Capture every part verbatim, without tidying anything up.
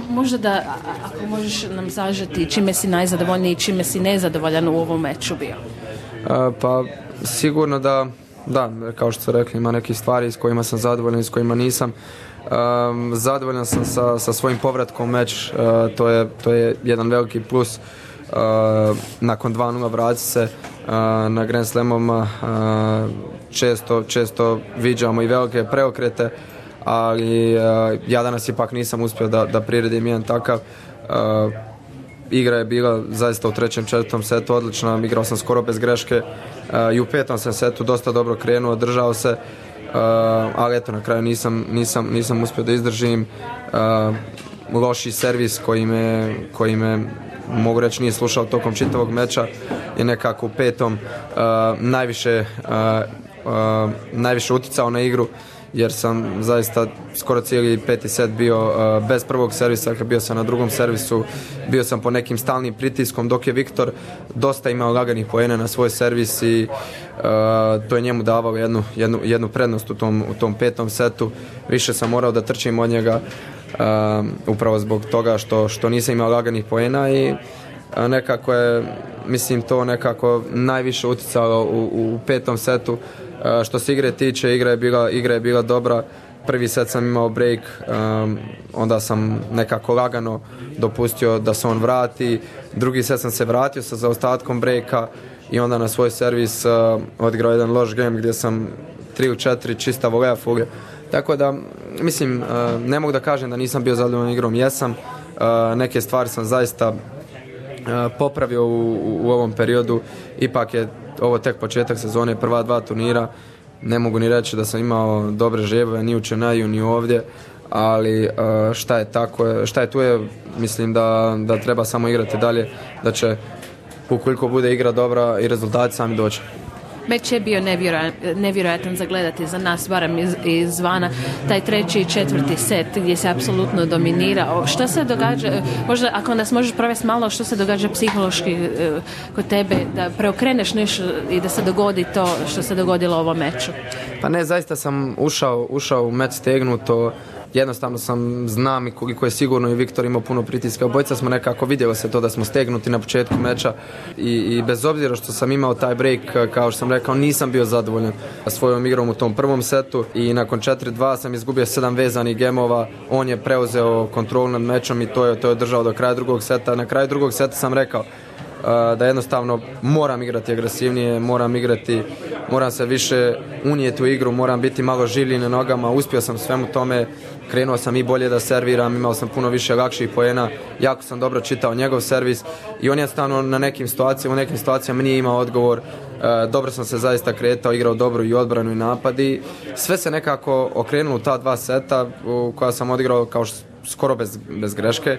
možda da, ako možeš nam sažeti čime si najzadovoljniji i čime si nezadovoljan u ovom meču bio? Uh, pa sigurno da, da, kao što ste rekli, ima neke stvari s kojima sam zadovoljan i s kojima nisam. Um, zadovoljan sam sa, sa svojim povratkom u meč, uh, to, je, to je jedan veliki plus. Uh, nakon dva nula vrati se uh, na Grand Slamom, uh, često, često viđamo i velike preokrete, ali uh, ja danas ipak nisam uspio da, da priredim jedan takav. Uh, igra je bila zaista u trećem, četvrtom setu odlična, igrao sam skoro bez greške uh, i u petom sam setu dosta dobro krenuo, držao se, uh, ali eto na kraju nisam, nisam, nisam uspio da izdržim. Uh, loši servis koji me, koji me mogu reći nije slušao tokom čitavog meča je nekako u petom uh, najviše, uh, uh, najviše uticao na igru, jer sam zaista skoro cijeli peti set bio uh, bez prvog servisa, kad bio sam na drugom servisu, bio sam po nekim stalnim pritiskom, dok je Viktor dosta imao laganih poena na svoj servis i uh, to je njemu davalo jednu, jednu, jednu prednost u tom, u tom petom setu. Više sam morao da trčim od njega uh, upravo zbog toga što, što nisam imao laganih poena i uh, nekako je, mislim, to nekako najviše uticalo u, u petom setu. Uh, što se igre tiče, igra je bila, igra je bila dobra. Prvi set sam imao break, um, onda sam nekako lagano dopustio da se on vrati. Drugi set sam se vratio sa zaostatkom breaka i onda na svoj servis uh, odigrao jedan loš game gdje sam tri ili četiri čista volea fuge. Tako da, mislim, uh, ne mogu da kažem da nisam bio zadovoljan igrom, jesam. Uh, neke stvari sam zaista uh, popravio u, u, u ovom periodu. Ipak je ovo tek početak sezone, prva dva turnira. Ne mogu ni reći da sam imao dobre žebove ni u Čenaju ni ovdje, ali uh, šta je tako, šta je tu je, mislim da, da treba samo igrati dalje, da će ukoliko bude igra dobra i rezultati sami doći. Meč je bio nevjerojatan za gledati za nas, barem iz, izvana, taj treći i četvrti set gdje se apsolutno dominirao. Što se događa, možda ako nas možeš provesti malo, što se događa psihološki uh, kod tebe, da preokreneš nešto i da se dogodi to što se dogodilo u ovom meču? Pa ne, zaista sam ušao, ušao u meč stegnuto. Jednostavno sam, znam i koliko je sigurno i Viktor imao puno pritiska. Obojica smo nekako, vidjelo se to da smo stegnuti na početku meča i, i bez obzira što sam imao taj break, kao što sam rekao, nisam bio zadovoljan svojom igrom u tom prvom setu i nakon četiri dva sam izgubio sedam vezanih gemova. On je preuzeo kontrolu nad mečom i to je, to je držao do kraja drugog seta. Na kraju drugog seta sam rekao Uh, da jednostavno moram igrati agresivnije, moram igrati, moram se više unijeti u igru, moram biti malo življi na nogama. Uspio sam svemu tome, krenuo sam i bolje da serviram, imao sam puno više lakših poena, jako sam dobro čitao njegov servis i on je jednostavno na nekim situacijama, u nekim situacijama nije imao odgovor. Uh, dobro sam se zaista kretao, igrao dobro i odbranu i napad i sve se nekako okrenulo u ta dva seta u koja sam odigrao kao što skoro bez, bez greške.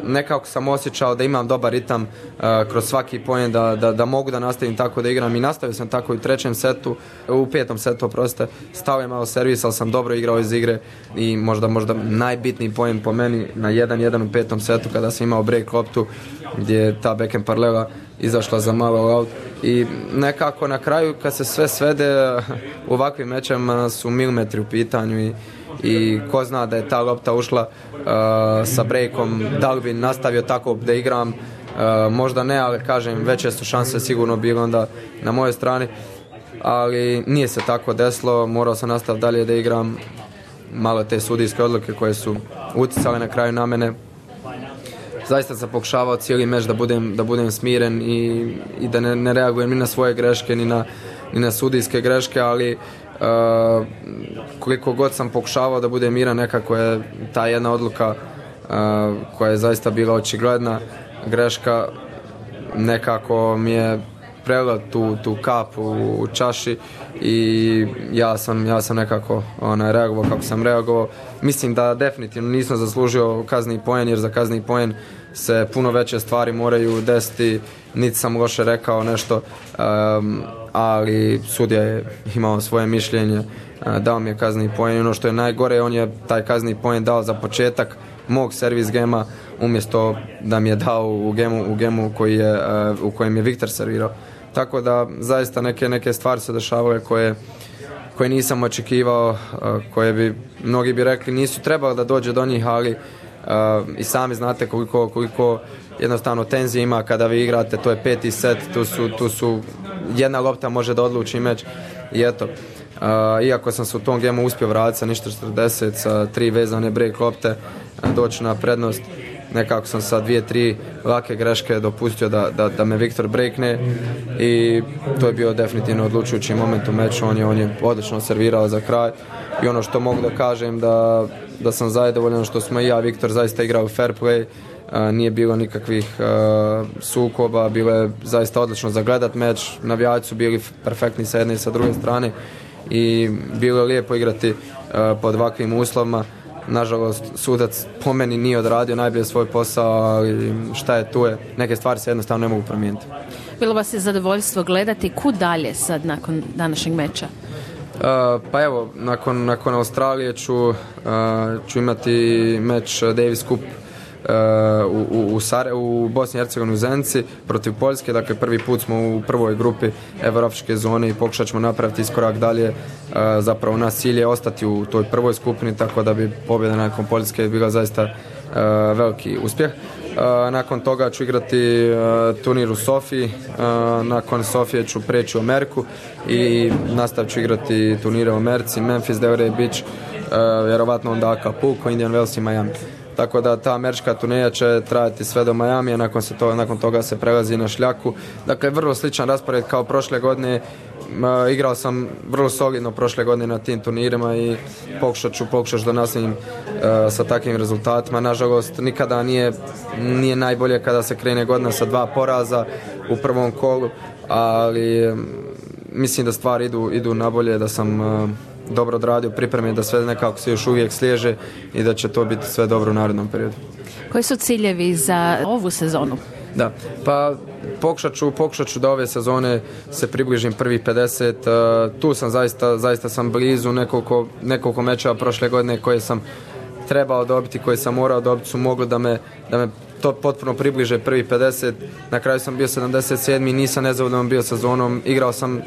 Nekako sam osjećao da imam dobar ritam uh, kroz svaki poen, da, da, da mogu da nastavim tako da igram i nastavio sam tako i u trećem setu, u petom setu, oprostite, stao je malo servis, ali sam dobro igrao iz igre i možda, možda najbitniji poen po meni na jedan jedan u petom setu kada sam imao break loptu gdje je ta backhand paralela izašla za malo out i nekako na kraju kad se sve svede u ovakvim mečama su milimetri u pitanju i i ko zna da je ta lopta ušla uh, sa breakom, da li bi nastavio tako da igram, uh, možda ne, ali kažem, veće su šanse sigurno bile onda na mojoj strani, ali nije se tako desilo, morao sam nastaviti dalje da igram. Malo te sudijske odluke koje su uticale na kraju na mene. Zaista sam pokušavao cijeli meč da budem, da budem smiren i, i da ne, ne reagujem ni na svoje greške, ni na, ni na sudijske greške, ali Uh, koliko god sam pokušavao da bude miran, nekako je ta jedna odluka uh, koja je zaista bila očigledna greška, nekako mi je prelila tu, tu kap u, u čaši i ja sam, ja sam nekako ona, reagovao kako sam reagovao. Mislim da definitivno nisam zaslužio kazni poen, jer za kazni poen se puno veće stvari moraju desiti, niti sam loše rekao nešto, um, ali sudija je imao svoje mišljenje, uh, dao mi je kazni poen. Ono što je najgore, on je taj kazni poen dao za početak mog servis gema, umjesto da mi je dao u gemu, u gemu koji je, uh, u kojem je Viktor servirao. Tako da zaista neke, neke stvari se dešavaju koje, koje nisam očekivao, uh, koje bi, mnogi bi rekli nisu trebali da dođe do njih, ali i sami znate koliko, koliko jednostavno tenzije ima kada vi igrate, to je peti set, tu su, tu su jedna lopta može da odluči meč i eto. Uh, iako sam se u tom gemu uspio vratiti sa ništa četrdeset, sa tri vezane break lopte, doći na prednost, nekako sam sa dvije, tri lake greške dopustio da, da, da me Viktor breakne i to je bio definitivno odlučujući moment u meču. On je, on je odlično servirao za kraj i ono što mogu da kažem da, da sam zadovoljan što smo i ja Viktor zaista igrao fair play. Uh, nije bilo nikakvih uh, sukoba, bilo je zaista odlično za gledat meč, navijači su bili perfektni sa jedne i sa druge strane i bilo je lijepo igrati uh, pod ovakvim uslovima. Nažalost, sudac po meni nije odradio najbolje svoj posao, ali šta je tu je, neke stvari se jednostavno ne mogu promijeniti. Bilo vas je zadovoljstvo gledati, kud dalje sad nakon današnjeg meča? Uh, pa evo, nakon, nakon Australije ću, uh, ću imati meč Davis Cup u, u, u, Sare, u Bosni i Hercegovini u Zenici protiv Poljske, dakle prvi put smo u prvoj grupi evropske zone i pokušat ćemo napraviti iskorak dalje. Zapravo naš cilj je ostati u toj prvoj skupini, tako da bi pobjeda nakon Poljske bila zaista veliki uspjeh. Nakon toga ću igrati turnir u Sofiji, nakon Sofije ću preći u Ameriku i nastavit ću igrati turnire u Americi, Memphis, Delray Beach, vjerovatno onda Acapulco, Indian Wells i Miami. Tako da ta američka turneja će trajati sve do Majamija, nakon, se to, nakon toga se prelazi na šljaku. Dakle, vrlo sličan raspored kao prošle godine. Uh, igrao sam vrlo solidno prošle godine na tim turnirima i pokušat ću, pokušat ću da nastavim uh, sa takvim rezultatima. Nažalost, nikada nije, nije najbolje kada se krene godina sa dva poraza u prvom kolu, ali um, mislim da stvari idu, idu nabolje, da sam uh, dobro odradio pripreme, da sve nekako se još uvijek sliježe i da će to biti sve dobro u narednom periodu. Koji su ciljevi za ovu sezonu? Da, pa pokušat ću, pokušat ću da ove sezone se približim prvih pedeset, uh, tu sam zaista, zaista sam blizu, nekoliko, nekoliko mečeva prošle godine koje sam trebao dobiti, koje sam morao dobiti su mogli da me, da me to potpuno približe prvih pedeset, na kraju sam bio sedamdeset sedmi, nisam nezadovoljan bio sezonom, igrao sam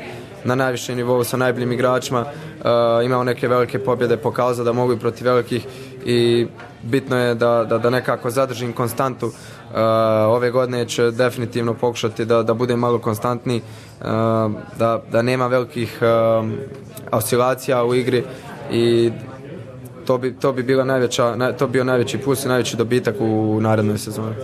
na najvišem nivou sa najboljim igračima, uh, imao neke velike pobjede, pokazao da mogu i protiv velikih i bitno je da, da, da nekako zadržim konstantu. Uh, ove godine će definitivno pokušati da, da budem malo konstantniji, uh, da, da nema velikih uh, oscilacija u igri i to bi, to bi bila najveća, to bi bio najveći plus i najveći dobitak u narednoj sezoni.